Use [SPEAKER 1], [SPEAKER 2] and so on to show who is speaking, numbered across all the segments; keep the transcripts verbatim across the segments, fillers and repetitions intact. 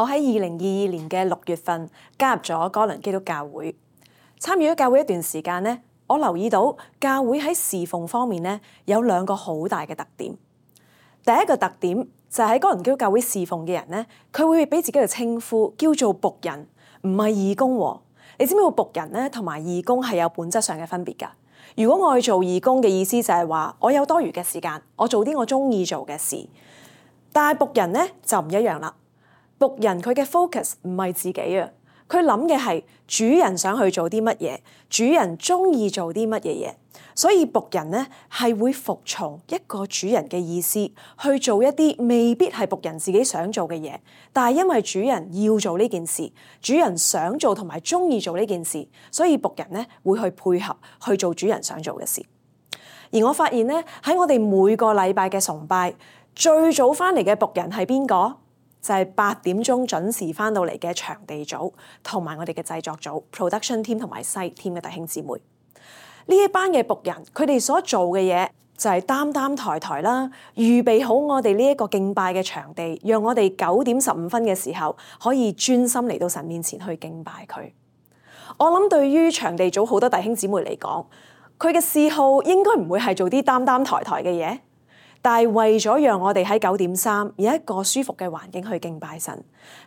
[SPEAKER 1] 我喺二零二二年嘅六月份加入咗哥倫基督教會，參與咗教會一段時間咧，我留意到教會喺侍奉方面咧有兩個好大嘅特點。第一個特點就係喺哥倫基督教會侍奉嘅人咧，佢會俾自己嘅稱呼叫做僕人，唔係義工喎。你知唔知道僕人咧同埋義工係有本質上嘅分別㗎？如果我去做義工嘅意思就係話我有多餘嘅時間，我做啲我中意做嘅事。但係僕人咧就唔一樣啦。僕人佢嘅 focus 唔係自己啊，佢諗嘅係主人想去做啲乜嘢，主人中意做啲乜嘢嘢。所以僕人咧係會服從一個主人嘅意思，去做一啲未必係僕人自己想做嘅嘢，但係因為主人要做呢件事，主人想做同埋中意做呢件事，所以僕人咧會去配合去做主人想做嘅事。而我發現咧喺我哋每個禮拜嘅崇拜，最早翻嚟嘅僕人係邊個？就係八點鐘準時翻到嚟嘅場地組同埋我哋嘅製作組 production team 同埋 site team 嘅弟兄姊妹。呢一班嘅僕人，佢哋所做嘅嘢就係擔擔抬抬啦，預備好我哋呢一個敬拜嘅場地，讓我哋九點十五分嘅時候可以專心嚟到神面前去敬拜佢。我諗對於場地組好多弟兄姊妹嚟講，佢嘅嗜好應該唔會係做啲擔擔抬抬嘅嘢。但係為咗讓我哋喺九點三有一個舒服嘅環境去敬拜神，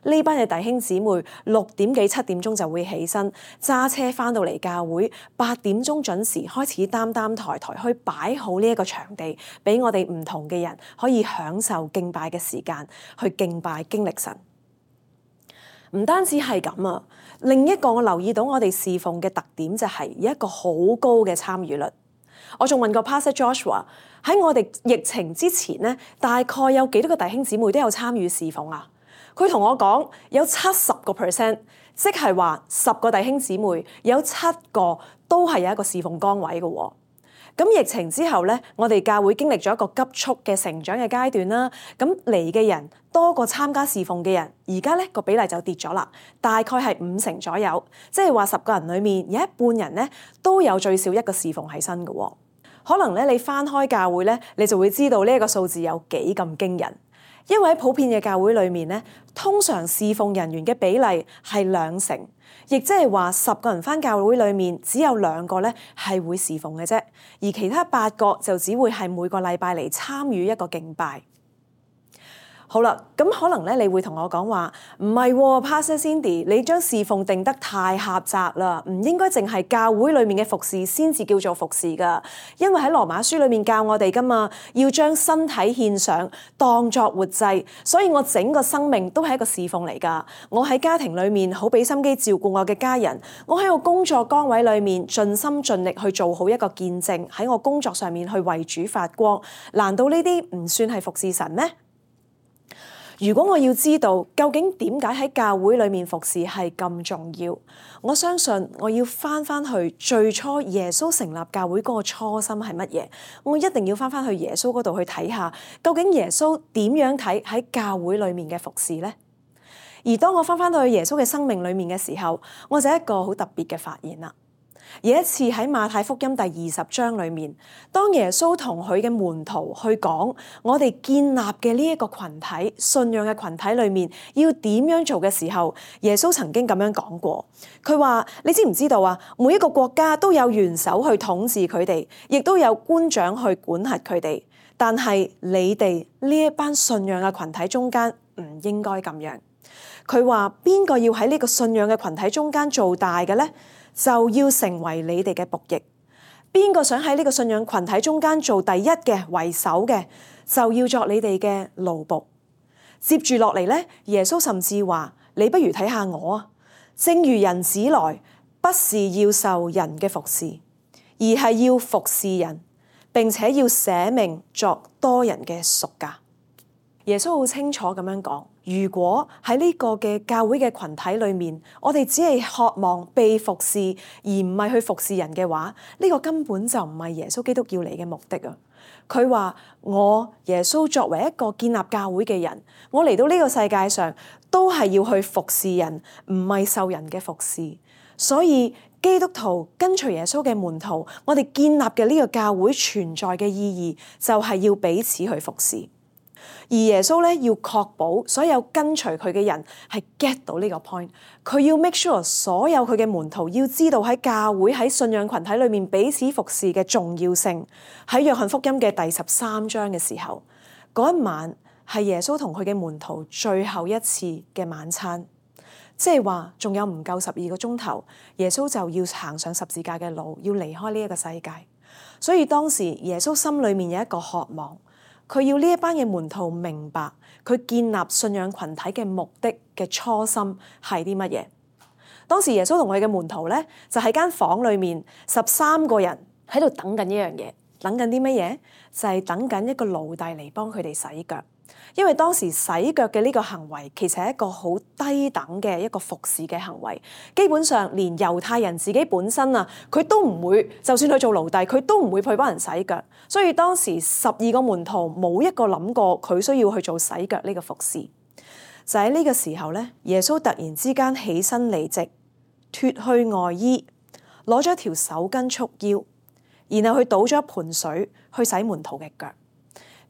[SPEAKER 1] 呢班嘅弟兄姊妹六點幾七點鐘就會起身揸車翻到嚟教會，八點鐘準時開始擔擔抬抬去擺好呢一個場地，俾我哋唔同嘅人可以享受敬拜嘅時間，去敬拜經歷神。唔單止係咁啊，另一個我留意到我哋侍奉嘅特點就係有一個好高嘅參與率。我仲問過 Pastor Joshua 喺我哋疫情之前咧，大概有幾多個弟兄姊妹都有參與侍奉啊？佢同我講有七十個 percent， 即係話十個弟兄姊妹有七個都係有一個侍奉崗位嘅喎。咁疫情之後咧，我哋教會經歷咗一個急速嘅成長嘅階段啦。咁嚟嘅人多過參加侍奉嘅人，而家咧個比例就跌咗啦，大概係五成左右。即係話十個人裡面有一半人咧都有最少一個侍奉喺身嘅喎。可能咧你翻開教會咧，你就會知道呢一個數字有幾咁驚人。因為喺普遍嘅教會裏面咧，通常侍奉人員嘅比例係兩成，亦即係話十個人翻教會裏面只有兩個咧係會侍奉嘅啫，而其他八個就只會係每個禮拜嚟參與一個敬拜。好啦，咁可能咧，你會同我講話唔係喎 Pastor Cindy，你將侍奉定得太狹窄啦，唔應該淨係教會裏面嘅服侍先至叫做服侍噶。因為喺羅馬書裏面教我哋噶嘛，要將身體獻上當作活祭，所以我整個生命都係一個侍奉嚟噶。我喺家庭裏面好俾心機照顧我嘅家人，我喺我工作崗位裏面盡心盡力去做好一個見證，喺我工作上面去為主發光。難道呢啲唔算係服侍神咩？如果我要知道究竟點解喺教會裏面服侍係咁重要，我相信我要翻翻去最初耶穌成立教會嗰個初心係乜嘢？我一定要翻翻去耶穌嗰度去睇下，究竟耶穌點樣睇喺教會裏面嘅服侍呢？而當我翻翻到去耶穌嘅生命裏面嘅時候，我就一個好特別嘅發現啦。有一次喺馬太福音第二十章裏面，當耶穌同佢嘅門徒去講我哋建立嘅呢一個群體、信仰嘅群體裏面要點樣做嘅時候，耶穌曾經咁樣講過，佢話：你知唔知道啊？每一個國家都有元首去統治佢哋，亦都有官長去管轄佢哋，但係你哋呢一班信仰嘅群體中間唔應該咁樣。佢話邊個要喺呢個信仰嘅群體中間做大嘅呢？就要成為你哋嘅僕役。邊個想喺呢個信仰群體中間做第一嘅、為首嘅，就要作你哋嘅奴僕。接住落嚟咧，耶穌甚至話：你不如睇下我啊，正如人子來，不是要受人嘅服侍，而係要服侍人，並且要捨命作多人嘅贖價。耶穌好清楚咁樣講，如果喺呢個嘅教會嘅群體裏面，我哋只係渴望被服侍，而唔係去服侍人嘅話，呢個根本就唔係耶穌基督要嚟嘅目的啊！佢話我耶穌作為一個建立教會嘅人，我嚟到呢個世界上都係要去服侍人，唔係受人嘅服侍。所以基督徒跟隨耶穌嘅門徒，我哋建立嘅呢個教會存在嘅意義，就係要彼此去服侍。而耶穌咧要確保所有跟隨佢嘅人係 get 到呢個 point， 佢要 make sure 所有佢嘅門徒要知道喺教會喺信仰群體裏面彼此服侍嘅重要性。喺約翰福音嘅第十三章嘅時候，嗰一晚係耶穌同佢嘅門徒最後一次嘅晚餐，即係話仲有唔夠十二個鐘頭，耶穌就要行上十字架嘅路，要離開呢一個世界。所以當時耶穌心裏面有一個渴望，佢要呢一班嘅門徒明白佢建立信仰群體嘅目的嘅初心係啲乜嘢。當時耶穌同佢嘅門徒咧就喺間房裏面十三個人喺度等緊一樣嘢，等緊啲乜嘢？就係等緊一個奴隸嚟幫佢哋洗腳。因為當時洗腳嘅呢個行為其實係一個好低等嘅一個服侍嘅行為，基本上連猶太人自己本身啊，佢都唔會，就算佢做奴隸，佢都唔會去幫人洗腳。所以當時十二個門徒冇一個諗過佢需要去做洗腳呢個服侍。就喺呢個時候咧，耶穌突然之間起身離席，脫去外衣，攞咗條手巾束腰，然後佢倒咗一盆水去洗門徒嘅腳。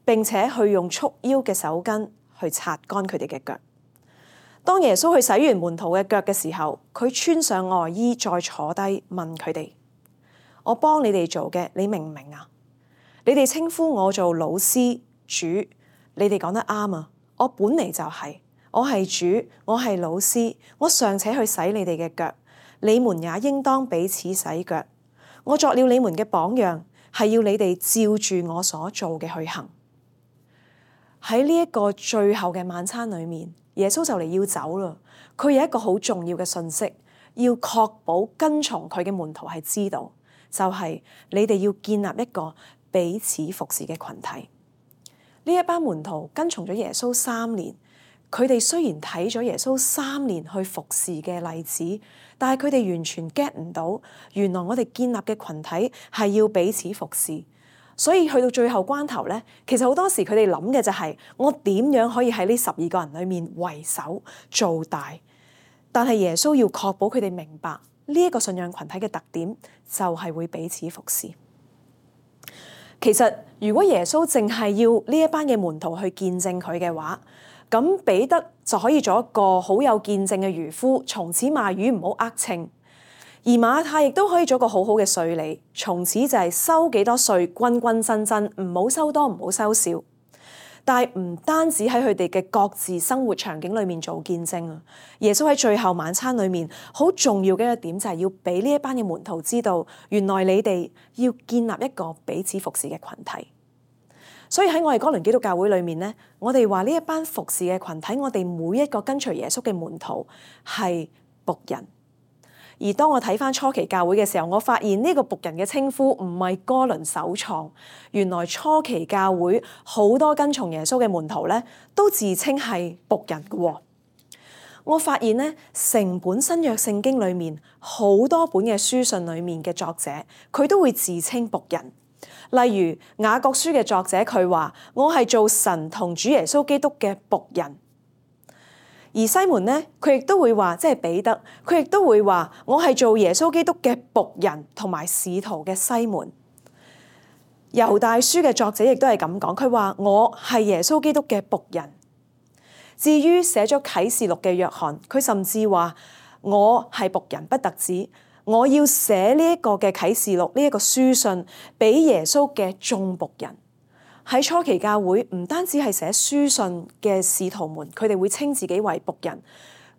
[SPEAKER 1] 並且去用束腰嘅手巾去擦乾佢哋嘅腳。當耶穌去洗完門徒嘅腳嘅時候，佢穿上外衣再坐低問佢哋：我幫你哋做嘅，你明唔明啊？你哋稱呼我做老師、主，你哋講得啱啊！我本嚟就係，我係主，我係老師，我尚且去洗你哋嘅腳，你們也應當彼此洗腳。我作了你們嘅榜樣，係要你哋照住我所做嘅去行。喺呢一個最後嘅晚餐裏面，耶穌就嚟要走啦。佢有一個好重要嘅訊息，要確保跟從佢嘅門徒係知道，就係你哋要建立一個彼此服侍嘅群體。呢一班門徒跟從咗耶穌三年，佢哋雖然睇咗耶穌三年去服侍嘅例子，但係佢哋完全 get 唔到，原來我哋建立嘅群體係要彼此服侍。所以去到最後關頭咧，其實好多時佢哋諗嘅就係我點樣可以喺呢十二個人裏面為首做大。但係耶穌要確保佢哋明白呢一個信仰群體嘅特點就係會彼此服侍。其實如果耶穌淨係要呢一班嘅門徒去見證佢嘅話，咁彼得就可以做一個好有見證嘅漁夫，從此賣魚唔好呃秤。而馬太亦都可以做個好好嘅稅吏，從此就係收幾多稅，均均真真，唔好收多，唔好收少。但係唔單止喺佢哋嘅各自生活場景裏面做見證啊，耶穌喺最後晚餐裏面好重要嘅一點就係要俾呢一班嘅門徒知道，原來你哋要建立一個彼此服侍嘅群體。所以喺我哋哥倫基督教會裏面咧，我哋話呢一班服侍嘅群體，我哋每一個跟隨耶穌嘅門徒係僕人。而當我睇返初期教會嘅時候，我發現呢個僕人嘅稱呼唔係哥倫首創，原來初期教會好多跟從耶穌嘅門徒咧，都自稱係僕人嘅。我發現咧，成本新約聖經裏面好多本嘅書信裏面嘅作者，佢都會自稱僕人。例如雅各書嘅作者，佢話我係做神同主耶穌基督嘅僕人。而西門咧，佢亦都會話，即係彼得，佢亦都會話我係做耶穌基督嘅僕人同埋使徒嘅西門。猶大書嘅作者亦都係咁講，佢話我係耶穌基督嘅僕人。至於寫咗啟示錄嘅約翰，佢甚至話我係僕人，不特止，我要寫呢一個嘅啟示錄呢一個書信俾耶穌嘅眾僕人。喺初期教會唔單止係寫書信嘅使徒們，佢哋會稱自己為僕人。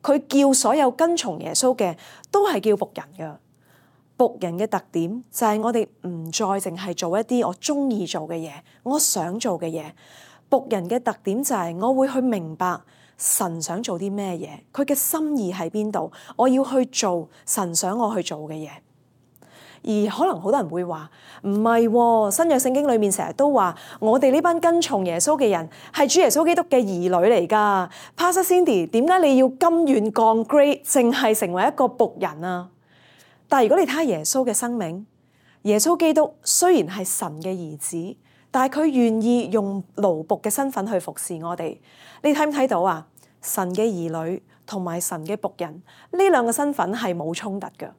[SPEAKER 1] 佢叫所有跟從耶穌嘅都係叫僕人㗎。僕人嘅特點就係我哋唔再淨係做一啲我中意做嘅嘢，我想做嘅嘢。僕人嘅特點就係我會去明白神想做啲咩嘢，佢嘅心意喺邊度，我要去做神想我去做嘅嘢。而可能好多人會話唔係喎，新約聖經裏面成日都話我哋呢班跟從耶穌嘅人係主耶穌基督嘅兒女嚟㗎。Pastor Cindy， 點解你要甘願降 grade，淨係成為一個僕人啊？但係如果你睇下耶穌嘅生命，耶穌基督雖然係神嘅兒子，但係佢願意用奴僕嘅身份去服侍我哋。你睇唔睇到啊？神嘅兒女同埋神嘅僕人呢兩個身份係冇衝突㗎。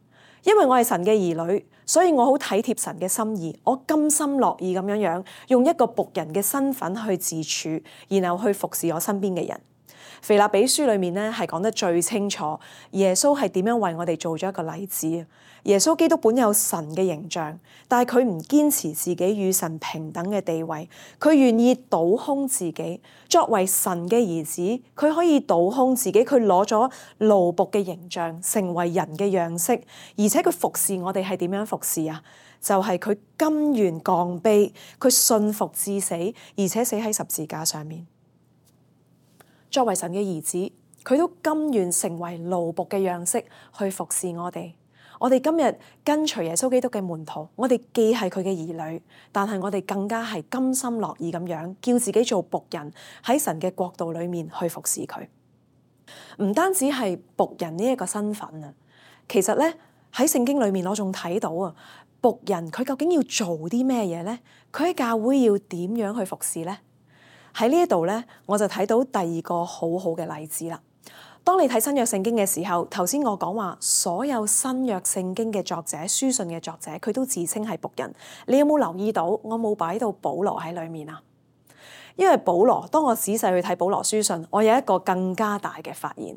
[SPEAKER 1] 因為我係神嘅兒女，所以我好體貼神嘅心意，我甘心樂意咁樣樣用一個僕人嘅身份去自處，然後去服侍我身邊嘅人。腓立比書裏面咧係講得最清楚，耶穌係點樣為我哋做咗一個例子。耶穌基督本有神嘅形象，但係佢唔堅持自己與神平等嘅地位，佢願意倒空自己，作為神嘅兒子，佢可以倒空自己，佢攞咗奴僕嘅形象，成為人嘅樣式，而且佢服侍我哋係點樣服侍啊？就係佢甘願降卑，佢信服至死，而且死喺十字架上面。作為神嘅兒子，佢都甘願成為奴僕嘅樣式去服侍我哋。我哋今日跟隨耶穌基督嘅門徒，我哋既係佢嘅兒女，但係我哋更加係甘心樂意咁樣叫自己做僕人，喺神嘅國度裏面去服侍佢。唔單止係僕人呢一個身份啊，其實咧喺聖經裏面我仲睇到啊，僕人佢究竟要做啲咩嘢咧？佢喺教會要點樣去服侍咧？喺呢一度咧，我就睇到第二個好好嘅例子啦。當你睇新約聖經嘅時候，頭先我講話所有新約聖經嘅作者、書信嘅作者，佢都自稱係僕人。你有冇留意到我冇擺到保羅喺裏面啊？因為保羅，當我仔細去睇保羅書信，我有一個更加大嘅發現。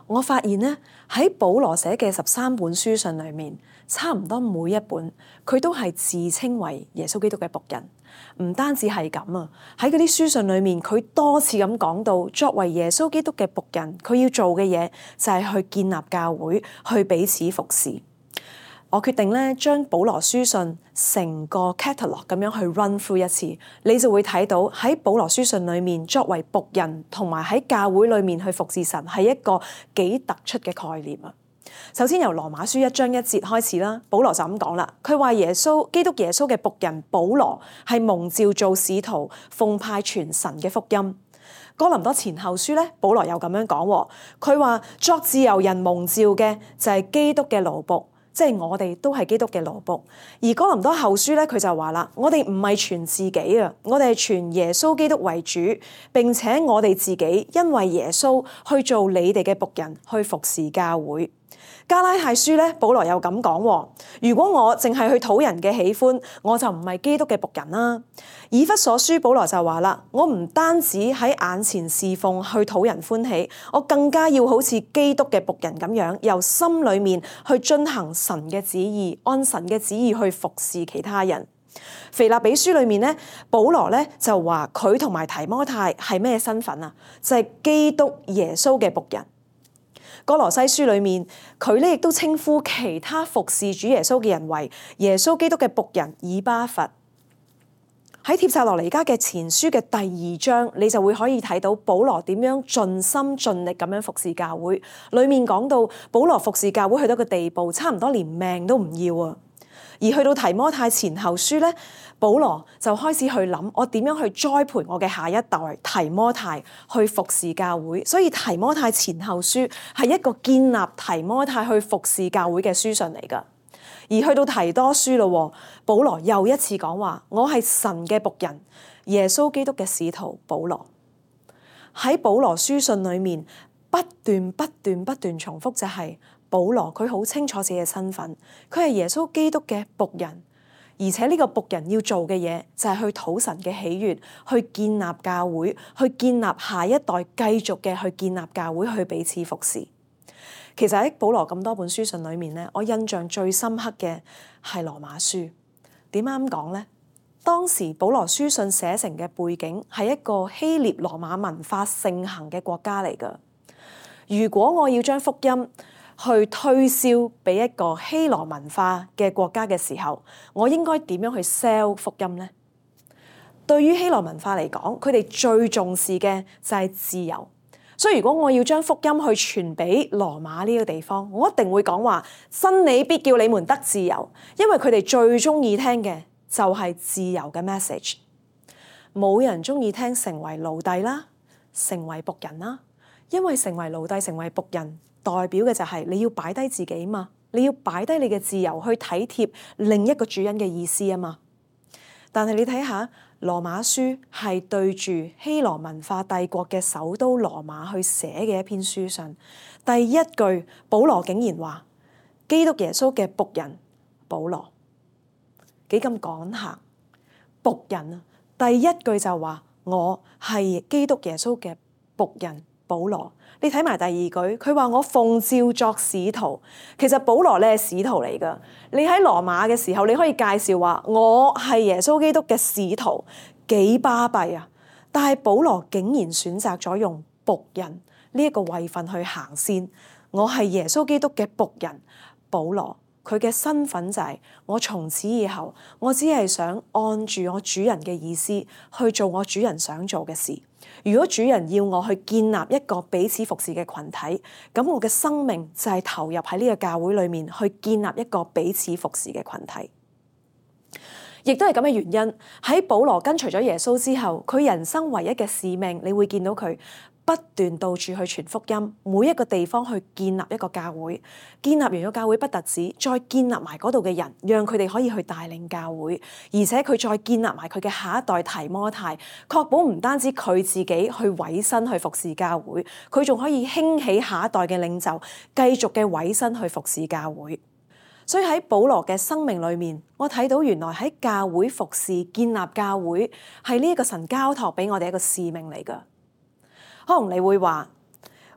[SPEAKER 1] 我發現咧，喺保羅寫嘅十三本書信裏面，差唔多每一本佢都係自稱為耶穌基督嘅僕人。唔單止係咁啊，喺嗰啲書信裏面，佢多次咁講到，作為耶穌基督嘅僕人，佢要做嘅嘢就係去建立教會，去彼此服侍。我決定咧，將保羅書信成個 catalog 咁樣去 run through 一次，你就會睇到喺保羅書信裏面，作為僕人同埋喺教會裏面去服侍神，係一個幾突出嘅概念啊！首先由羅馬書一章一節開始啦，保羅就咁講啦，佢話耶穌基督耶穌嘅僕人保羅係蒙召做使徒，奉派傳神嘅福音。哥林多前後書咧，保羅又咁樣講，佢話作自由人蒙召嘅就係基督嘅奴僕。即係我哋都係基督嘅奴僕，而哥林多後書咧，佢就話啦：我哋唔係傳自己啊，我哋係傳耶穌基督為主，並且我哋自己因為耶穌去做你哋嘅僕人，去服侍教會。加拉太書咧，保羅又咁講：如果我淨係去討人嘅喜歡，我就唔係基督嘅僕人啦。以弗所書保羅就話啦：我唔單止喺眼前侍奉去討人歡喜，我更加要好似基督嘅僕人咁樣，由心裏面去遵行神嘅旨意，按神嘅旨意去服侍其他人。腓立比書裏面咧，保羅咧就話佢同埋提摩太係咩身份啊？就係基督耶穌嘅僕人。哥羅西書裏面，佢咧亦都稱呼其他服侍主耶穌嘅人為耶穌基督嘅僕人以巴弗。喺帖撒羅尼迦嘅前書嘅第二章，你就會可以睇到保羅點樣盡心盡力咁樣服侍教會。裏面講到保羅服侍教會去到個地步，差唔多連命都唔要啊！而去到提摩太前後書咧，保羅就開始去諗我點樣去栽培我嘅下一代提摩太去服侍教會。所以提摩太前後書係一個建立提摩太去服侍教會嘅書信嚟㗎。而去到提多書咯，保羅又一次講話：我係神嘅僕人，耶穌基督嘅使徒保羅。喺保羅書信裏面不斷不斷不斷重複就係、是。保羅佢好清楚自己嘅身份，佢係耶穌基督嘅僕人，而且呢個僕人要做嘅嘢就係去討神嘅喜悅，去建立教會，去建立下一代，繼續嘅去建立教會，去彼此服侍。其實喺保羅咁多本書信裏面咧，我印象最深刻嘅係羅馬書。點解咁講咧？當時保羅書信寫成嘅背景係一個希臘羅馬文化盛行嘅國家嚟㗎。如果我要將福音去推銷俾一個希羅文化嘅國家嘅時候，我應該點樣去 sell 福音呢？對於希羅文化嚟講，佢哋最重視嘅就係自由。所以如果我要將福音去傳俾羅馬呢個地方，我一定會講話真理必叫你們得自由，因為佢哋最中意聽嘅就係自由嘅 message。冇人中意聽成為奴隸啦，成為僕人啦，因為成為奴隸、成為僕人，代表嘅就係你要擺低自己嘛，你要擺低你嘅自由去體貼另一個主人嘅意思啊嘛。但係你睇下羅馬書係對住希羅文化帝國嘅首都羅馬去寫嘅一篇書信，第一句保羅竟然話：基督耶穌嘅僕人保羅，幾咁趕客僕人啊！第一句就話我係基督耶穌嘅僕人保羅。你睇埋第二句，佢話我奉召作使徒。其實保羅咧係使徒嚟噶。你喺羅馬嘅時候，你可以介紹話我係耶穌基督嘅使徒，幾巴閉啊！但係保羅竟然選擇咗用僕人呢一個位份去行先。我係耶穌基督嘅僕人保羅，佢嘅身份就係我從此以後，我只係想按住我主人嘅意思去做我主人想做嘅事。如果主人要我去建立一個彼此服侍嘅群體，咁我嘅生命就係投入喺呢個教會裏面去建立一個彼此服侍嘅群體。亦都係咁嘅原因，喺保羅跟隨咗耶穌之後，佢人生唯一嘅使命，你會見到佢不斷到處去傳福音，每一個地方去建立一個教會，建立完個教會不特止，再建立埋嗰度嘅人，讓佢哋可以去帶領教會，而且佢再建立埋佢嘅下一代提摩太，確保唔單止佢自己去委身去服侍教會，佢仲可以興起下一代嘅領袖，繼續嘅委身去服侍教會。所以喺保羅嘅生命裏面，我睇到原來喺教會服侍、建立教會係呢一個神交託俾我哋一個使命嚟㗎。可能你會話，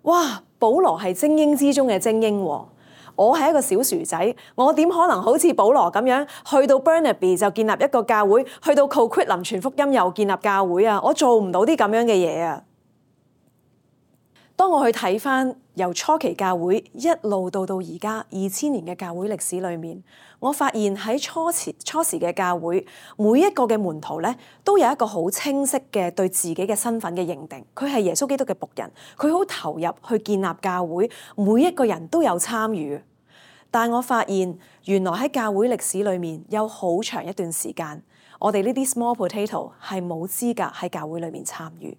[SPEAKER 1] 哇，保羅係精英之中嘅精英喎，我係一個小薯仔，我點可能好似保羅咁樣去到 Burnaby 就建立一個教會，去到 Coquitlam傳福音又建立教會啊？我做唔到啲咁樣嘅嘢啊！當我去睇返由初期教會一路到到而家二千年嘅教會歷史裏面，我發現喺初時初時嘅教會，每一個嘅門徒咧都有一個好清晰嘅對自己嘅身份嘅認定，佢係耶穌基督嘅僕人，佢好投入去建立教會，每一個人都有參與。但我發現原來喺教會歷史裏面有好長一段時間，我哋呢啲 small potato 係冇資格喺教會裏面參與。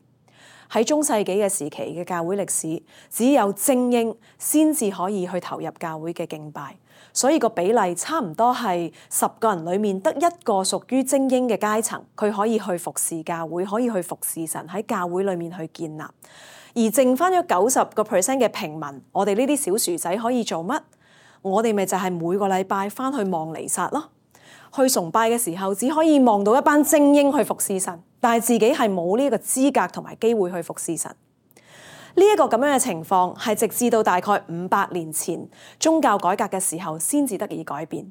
[SPEAKER 1] 喺中世紀嘅時期嘅教會歷史，只有精英先至可以去投入教會嘅敬拜，所以個比例差唔多係十個人裡面得一個屬於精英嘅階層，佢可以去服侍教會，可以去服侍神，喺教會裡面去建立。而剩翻咗九十個 percent 嘅平民，我哋呢啲小薯仔可以做乜？我哋咪就係每個禮拜翻去望彌撒咯。去崇拜嘅時候，只可以望到一班精英去服侍神，但係自己係冇呢個資格同埋機會去服侍神。呢一個咁樣嘅情況係直至到大概五百年前宗教改革嘅時候先至得以改變。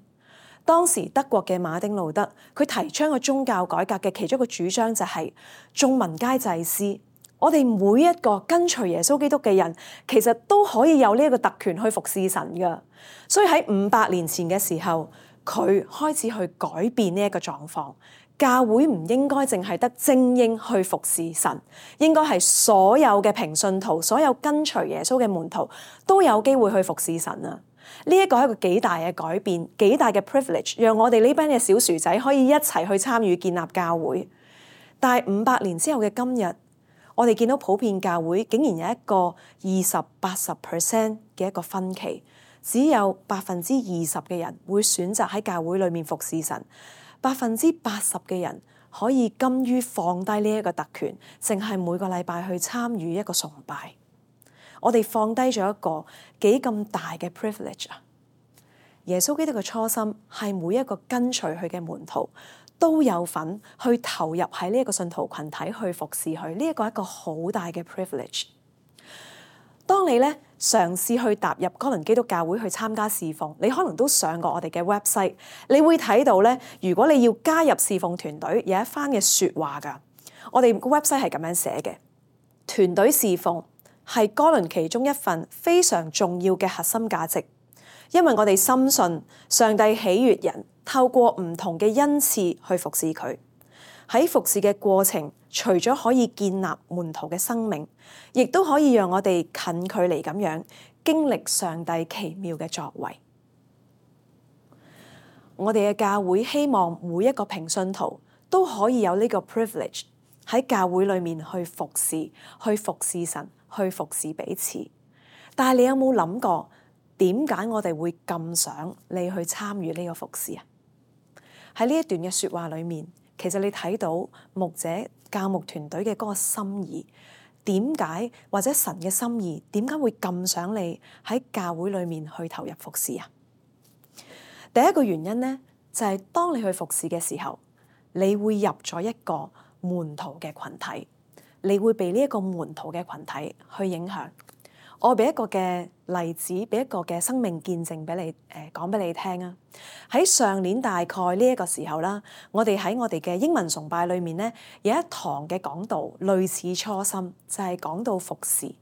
[SPEAKER 1] 當時德國嘅馬丁路德，佢提倡個宗教改革嘅其中一個主張就係眾民皆祭司。我哋每一個跟隨耶穌基督嘅人，其實都可以有呢一個特權去服侍神㗎。所以喺五百年前嘅時候，佢開始去改變呢一個狀況，教會唔應該淨係得精英去服侍神，應該係所有嘅平信徒、所有跟隨耶穌嘅門徒都有機會去服侍神啊！呢一個係一個幾大嘅改變，幾大嘅 privilege，讓我哋呢班嘅小薯仔可以一齊去參與建立教會。但係五百年之後嘅今日，我哋見到普遍教會竟然有一個二十八十 percent 嘅一個分歧。只有百分之二十嘅人會選擇喺教會裏面服侍神，百分之八十嘅人可以甘於放低呢一個特權，淨係每個禮拜去參與一個崇拜。我哋放低咗一個幾咁大嘅 privilege 啊！耶穌基督嘅初心係每一個跟隨佢嘅門徒都有份去投入喺呢一個信徒群體去服侍佢，呢一個係一個好大嘅 privilege。當你咧嘗試去踏入哥倫基督教會去參加侍奉，你可能都上過我哋嘅 website， 你會睇到咧，如果你要加入侍奉團隊，有一番嘅説話㗎。我哋個 website 係咁樣寫嘅：團隊侍奉係哥倫其中一份非常重要嘅核心價值，因為我哋深信上帝喜悅人透過唔同嘅恩賜去服侍佢。喺服侍嘅過程，除咗可以建立門徒嘅生命，亦都可以讓我哋近距離咁樣經歷上帝奇妙嘅作為。我哋嘅教會希望每一個平信徒都可以有呢個 privilege 喺教會裏面去服侍、去服侍神、去服侍彼此。但係你有冇諗過，點解我哋會咁想你去參與呢個服侍啊？喺呢一段嘅說話裏面，其實你睇到牧者教牧團隊嘅嗰個心意，點解或者神嘅心意點解會咁想你喺教會裏面去投入服侍啊？第一個原因咧，就係當你去服侍嘅時候，你會入咗一個門徒嘅群體，你會被呢一個門徒嘅群體去影響。我俾一個嘅例子，俾一個嘅生命見證俾你，誒、呃、講俾你聽啊！喺上年大概呢一個時候啦，我哋喺我哋嘅英文崇拜裏面咧，有一堂嘅講道，類似初心，就係、是、講到服侍。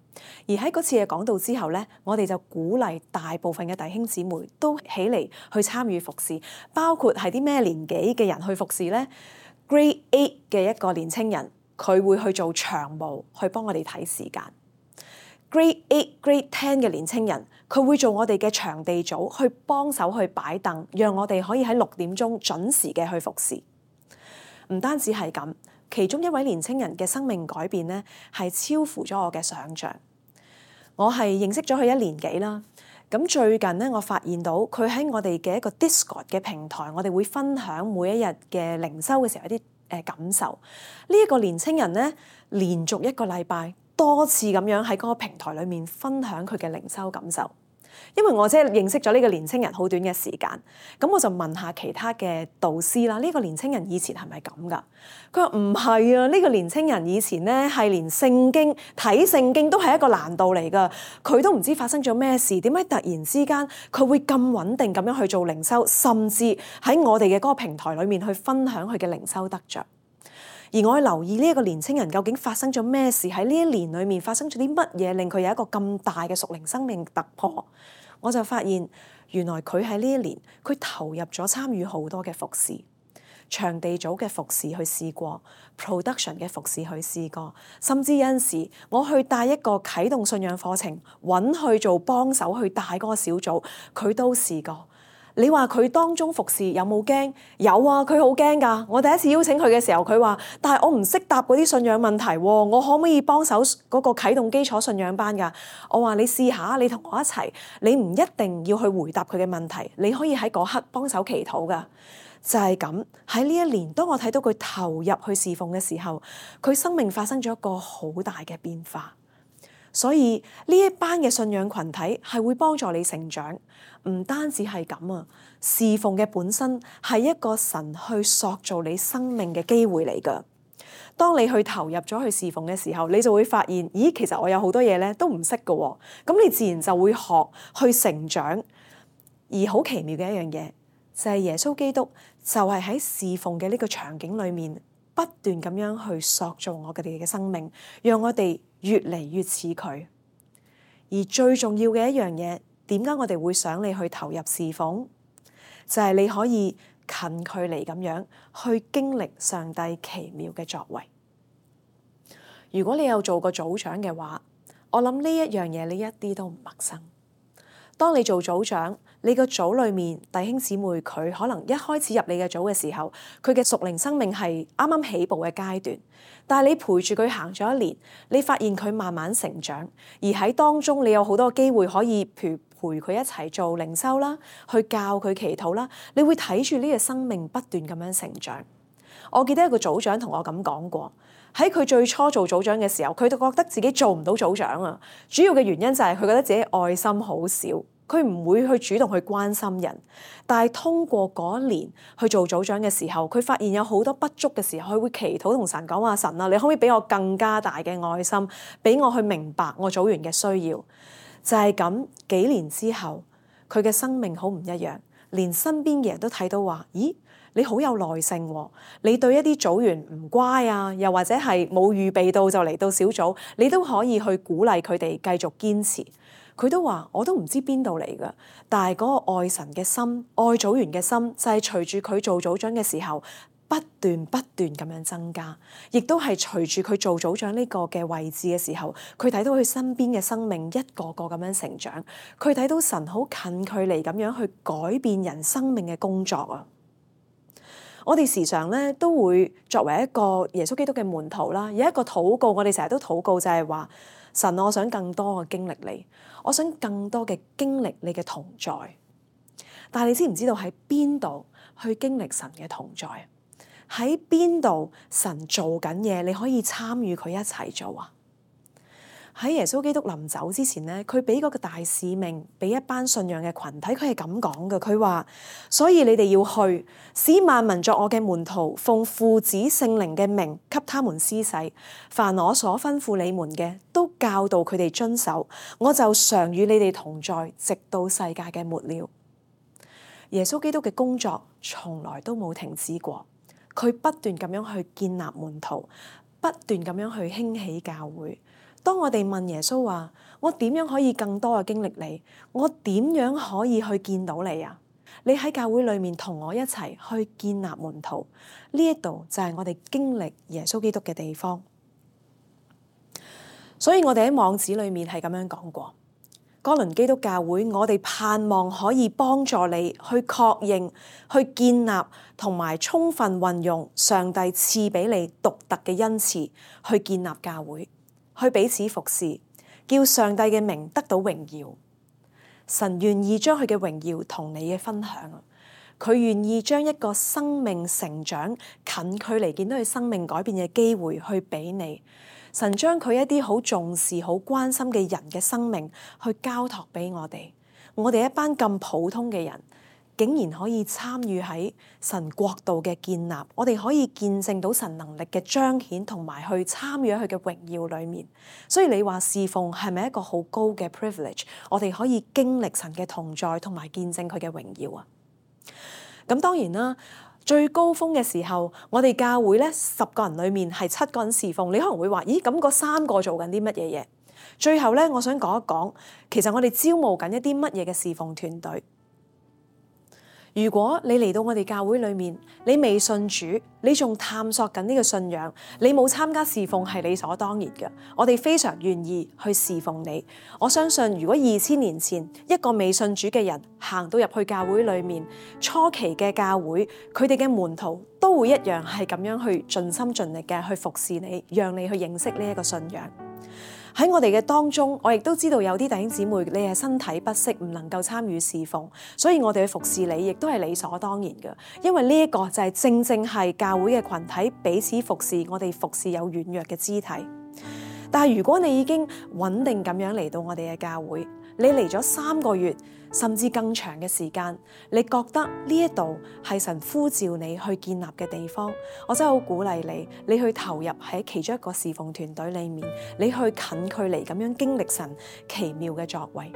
[SPEAKER 1] 而喺嗰次嘅講道之後咧，我哋就鼓勵大部分嘅弟兄姊妹都起嚟去參與服侍，包括係啲咩年紀嘅人去服侍咧？Grade Eight 嘅一個年青人，佢會去做長務，去幫我哋睇時間。Grade Eight、Grade Ten 嘅年青人，佢會做我哋嘅場地組，去幫手去擺凳，讓我哋可以喺六點鐘準時嘅去服侍。唔單止係咁，其中一位年青人嘅生命改變咧，係超乎咗我嘅想像。我係認識咗佢一年幾啦。咁最近咧，我發現到佢喺我哋嘅一個 Discord 嘅平台，我哋會分享每一日嘅靈修嘅時候一啲誒感受。呢一個年青人咧，連續一個禮拜多次咁樣喺嗰個平台裏面分享佢嘅靈修感受。因為我即係認識咗呢個年青人好短嘅時間，咁我就問下其他嘅導師啦，呢個年青人以前係咪咁㗎？佢話唔係啊，呢個年青人以前咧係連聖經睇聖經都係一個難度嚟㗎，佢都唔知發生咗咩事，點解突然之間佢會咁穩定咁樣去做靈修，甚至喺我哋嘅嗰個平台裏面去分享佢嘅靈修得着。而我去留意呢一個年青人究竟發生咗咩事，喺呢一年裏面發生咗啲乜嘢令佢有一個咁大嘅屬靈生命突破，我就發現原來佢喺呢一年佢投入咗參與好多嘅服侍，場地組嘅服侍去試過， production 嘅服侍去試過，甚至有陣時我去帶一個啟動信仰課程，揾去做幫手去帶嗰個小組，佢都試過。你話佢當中服侍有冇驚？有啊，佢好驚㗎。我第一次邀請佢嘅時候，佢話：但係我唔識答嗰啲信仰問題喎，我可唔可以幫手嗰個啟動基礎信仰班㗎？我話你試下，你同我一齊，你唔一定要去回答佢嘅問題，你可以喺嗰刻幫手祈禱㗎。就係咁，喺呢一年，當我睇到佢投入去侍奉嘅時候，佢生命發生咗一個好大嘅變化。所以呢一班嘅信仰群體係會幫助你成長，唔單止係咁啊！侍奉嘅本身係一個神去塑造你生命嘅機會嚟㗎。當你去投入咗去侍奉嘅時候，你就會發現，咦，其實我有好多嘢咧都唔識㗎喎。咁你自然就會學去成長。而好奇妙嘅一樣嘢就係耶穌基督就係喺侍奉嘅呢個場景裏面不斷咁樣去塑造我哋嘅生命，讓我哋越嚟越似佢。而最重要嘅一樣嘢，點解我哋會想你去投入侍奉？就係你可以近距離咁樣去經歷上帝奇妙嘅作為。如果你有做過組長嘅話，我諗呢一樣嘢你一啲都唔陌生。當你做組長，你個組裏面弟兄姊妹佢可能一開始入你嘅組嘅時候，佢嘅屬靈生命係啱啱起步嘅階段，但係你陪住佢行咗一年，你發現佢慢慢成長，而喺當中你有好多機會可以陪陪佢一齊做靈修啦，去教佢祈禱啦，你會睇住呢個生命不斷咁樣成長。我記得一個組長同我咁講過，喺佢最初做組長嘅時候，佢就覺得自己做唔到組長啊，主要嘅原因就係佢覺得自己愛心好少。佢唔會去主動去關心人，但係通過嗰一年去做組長嘅時候，佢發現有好多不足嘅時候，佢會祈禱同神講話：神啊，你可唔可以俾我更加大嘅愛心，俾我去明白我組員嘅需要？就係咁，幾年之後，佢嘅生命好唔一樣，連身邊嘅人都睇到話：咦，你好有耐性喎！你對一啲組員唔乖啊，又或者係冇預備到就嚟到小組，你都可以去鼓勵佢哋繼續堅持。佢都話：我都唔知邊度嚟㗎，但係嗰個愛神嘅心、愛組員嘅心，就係隨住佢做組長嘅時候，不斷不斷咁樣增加，亦都係隨住佢做組長呢個嘅位置嘅時候，佢睇到佢身邊嘅生命一個個咁樣成長，佢睇到神好近距離咁樣去改變人生命嘅工作啊！我哋時常咧都會作為一個耶穌基督嘅門徒啦，有一個禱告，我哋成日都禱告就係話：神，我想更多嘅經歷你，我想更多嘅經歷你嘅同在。但係你知唔知道喺邊度去經歷神嘅同在？喺邊度神做緊嘢，你可以參與佢一齊做啊？喺耶穌基督臨走之前咧，佢俾嗰個大使命俾一班信仰嘅群體，佢係咁講嘅。佢話：所以你哋要去，使萬民作我嘅門徒，奉父子聖靈嘅名給他們施洗，凡我所吩咐你們嘅，都教導佢哋遵守。我就常與你哋同在，直到世界嘅末了。耶穌基督嘅工作從來都冇停止過，佢不斷咁樣去建立門徒，不斷咁樣去興起教會。當我哋問耶穌話：我點樣可以更多嘅經歷你？我點樣可以去見到你啊？你喺教會裏面同我一齊去建立門徒，呢一度就係我哋經歷耶穌基督嘅地方。所以我哋喺網址裏面係咁樣講過：哥倫基督教會，我哋盼望可以幫助你去確認、去建立同埋充分運用上帝賜俾你獨特嘅恩賜，去建立教會，去彼此服侍，叫上帝嘅名得到榮耀。神願意將佢嘅榮耀同你嘅分享，佢願意將一個生命成長、近距離見到佢生命改變嘅機會去俾你。神將佢一啲好重視、好關心嘅人嘅生命去交託俾我哋。我哋一班咁普通嘅人，竟然可以參與喺神國度嘅建立，我哋可以見證到神能力嘅彰顯，同埋去參與喺佢嘅榮耀裏面。所以你話侍奉係咪一個好高嘅 privilege？ 我哋可以經歷神嘅同在，同埋見證佢嘅榮耀啊！咁當然啦，最高峰嘅時候，我哋教會咧十個人裏面係七個人侍奉。你可能會話：咦，咁嗰三個做緊啲乜嘢嘢？最後咧，我想講一講，其實我哋招募緊一啲乜嘢嘅侍奉團隊。如果你嚟到我哋教會裏面，你未信主，你仲探索緊呢個信仰，你冇參加侍奉係理所當然嘅。我哋非常願意去侍奉你。我相信如果二千年前一個未信主嘅人行到入去教會裏面，初期嘅教會，佢哋嘅門徒都會一樣係咁樣去盡心盡力嘅去服侍你，讓你去認識呢一個信仰。喺我哋嘅當中，我亦都知道有啲弟兄姊妹，你係身體不適，唔能夠參與侍奉，所以我哋去服侍你，亦都係理所當然嘅。因為呢一個就係正正係教會嘅群體彼此服侍，我哋服侍有軟弱嘅肢體。但係如果你已經穩定咁樣嚟到我哋嘅教會，你嚟咗三個月甚至更長嘅時間，你覺得呢一度係神呼召你去建立嘅地方，我真係好鼓勵你，你去投入喺其中一個侍奉團隊裏面，你去近距離咁樣經歷神奇妙嘅作為。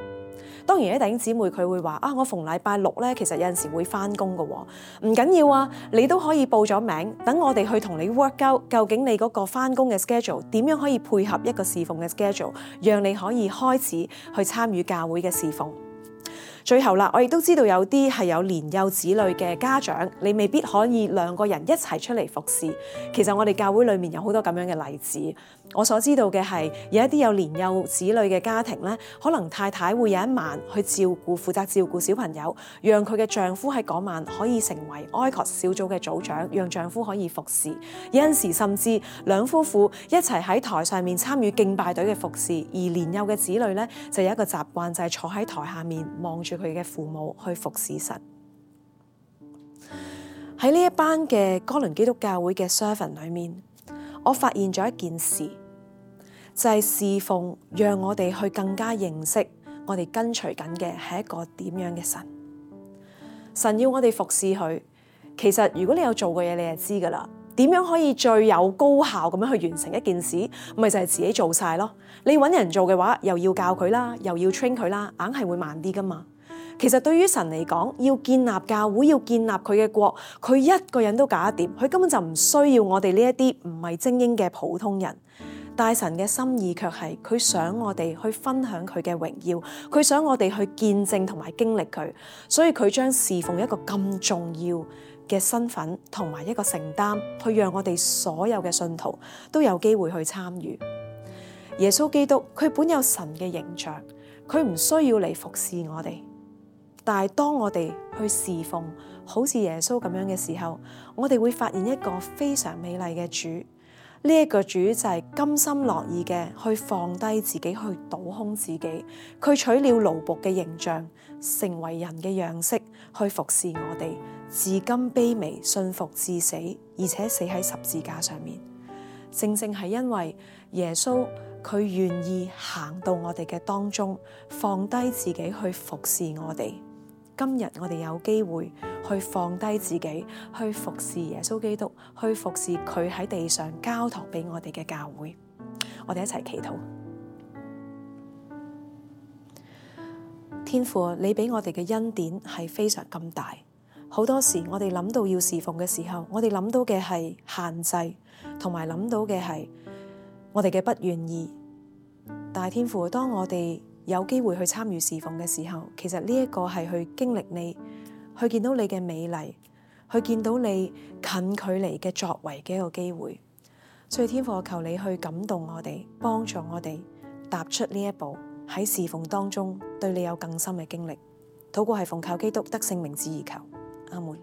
[SPEAKER 1] 當然，啲弟兄姊妹佢會話啊，我逢禮拜六咧，其實有陣時會翻工㗎喎，唔緊要啊，你都可以報咗名，等我哋去同你 work out，究竟你嗰個翻工嘅 schedule 點樣可以配合一個侍奉嘅 schedule， 讓你可以開始去參與教會嘅侍奉。最後啦，我亦都知道有啲係有年幼子女嘅家長，你未必可以兩個人一齊出嚟服侍。其實我哋教會裏面有好多咁樣嘅例子。我所知道嘅係有一啲有年幼子女嘅家庭咧，可能太太會有一晚去照顧、負責照顧小朋友，讓佢嘅丈夫喺嗰晚可以成為 I C O S 小組嘅組長，讓丈夫可以服侍。有陣時甚至兩夫婦一齊喺台上面參與敬拜隊嘅服侍，而年幼嘅子女咧就有一個習慣，就係坐喺台下面望住佢嘅父母去服侍神。喺呢一班嘅哥倫基督教會嘅 servant 裏面，我發現咗一件事，就係侍奉讓我哋去更加認識我哋跟隨緊嘅係一個點樣嘅神。神要我哋服侍佢，其實如果你有做過嘢，你就知噶啦。點樣可以最有高效咁樣去完成一件事？咪就係自己做晒咯。你搵人做嘅話，又要教佢啦，又要 train 佢啦，硬係會慢啲噶嘛。其實對於神嚟講，要建立教會，要建立佢嘅國，佢一個人都搞得掂，佢根本就唔需要我哋呢一啲唔係精英嘅普通人。但神嘅心意卻係，佢想我哋去分享佢嘅榮耀，佢想我哋去見證同埋經歷佢，所以佢將侍奉一個咁重要嘅身份同埋一個承擔，去讓我哋所有嘅信徒都有機會去參與。耶穌基督佢本有神嘅形象，佢唔需要嚟服侍我哋。但係當我哋去侍奉好似耶穌咁樣嘅時候，我哋會發現一個非常美麗嘅主。呢、這、一個主就係甘心樂意嘅去放低自己，去倒空自己，佢取了奴僕嘅形象，成為人嘅樣式，去服侍我哋，至今卑微信服至死，而且死喺十字架上面。正正係因為耶穌佢願意行到我哋嘅當中，放低自己去服侍我哋。今日我哋有機會去放低自己，去服侍耶穌基督，去服侍佢喺地上交託俾我哋嘅教會。我哋一齊祈禱。天父，你俾我哋嘅恩典係非常咁大。好多時我哋諗到要侍奉嘅時候，我哋諗到嘅係限制，同埋諗到嘅係我哋嘅不願意。但係天父，當我哋有機會去參與侍奉嘅時候，其實呢一個係去經歷你，去見到你嘅美麗，去見到你近距離嘅作為嘅一個機會。所以天父，我求你去感動我哋，幫助我哋踏出呢一步，喺侍奉當中對你有更深嘅經歷。禱告係奉靠基督得勝名字而求，阿門。